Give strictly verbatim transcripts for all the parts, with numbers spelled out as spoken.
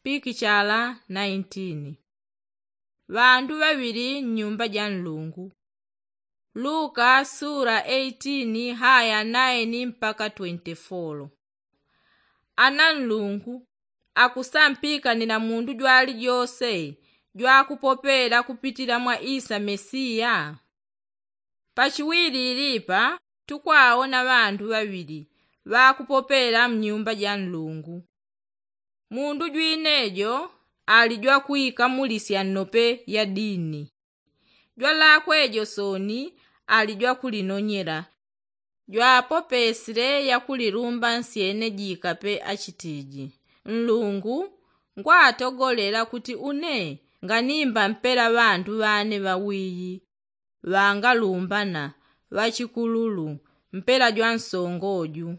pikichala naintini. Ŵandu ŵaŵili nnyumba ja nlungu. Luka sula eitini haya naini mpaka twenti folo. Ana nlungu akusampikanila mundu jwalijose jwakupopela kupitila mwa isa mesiya? Pachiwilili ipa tukwaona ŵandu ŵaŵili ŵakupopela mnyumba ja nlungu. Mundu jwinejo ali jwakwikamulisya nnope ya dini. Jwalakwe jo sooni ali jwakulinonyela. Jwapopesile yakulilumba nsyene jikape achitiji, nlungu, ngwatogolela kuti une nganimba mpela ŵandu ŵane ŵawiyi ŵangalumbana ŵachikululu mpela jwansongo ju.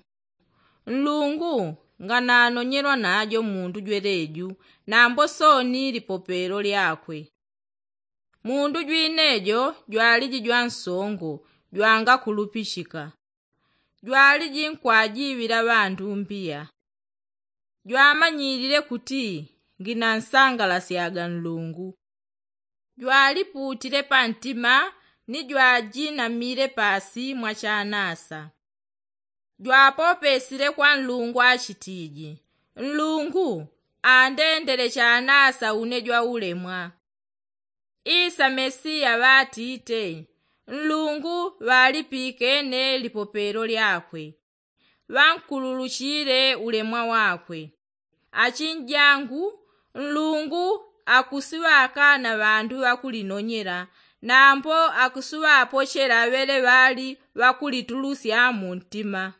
Nlungu ngananonyelwa najo mundu jweleju nambo sooni lipopelo lyakwe. Mundu jwinejo jwaliji jwansongo jwangakulupichika. Jwaliji nkwajiŵila ŵandu mbiya. Jwamanyilile kuti nginansangalasyaga nlungu. Jwaliputile pantima ni jwajinamile paasi mwa chanasa. Jwapopesile kwa nlungu achitiji, nlungu, andendele chanasa une jwaulemwa. Isa mesiya ŵatite, nlungu ŵalipikene lipopelo lyakwe. Ŵankululuchile ulemwa wakwe. Achinjangu, nlungu akusiŵakana ŵandu ŵakulinonyela nambo akusiŵapochela ŵele ŵali ŵakulitulusya muntima.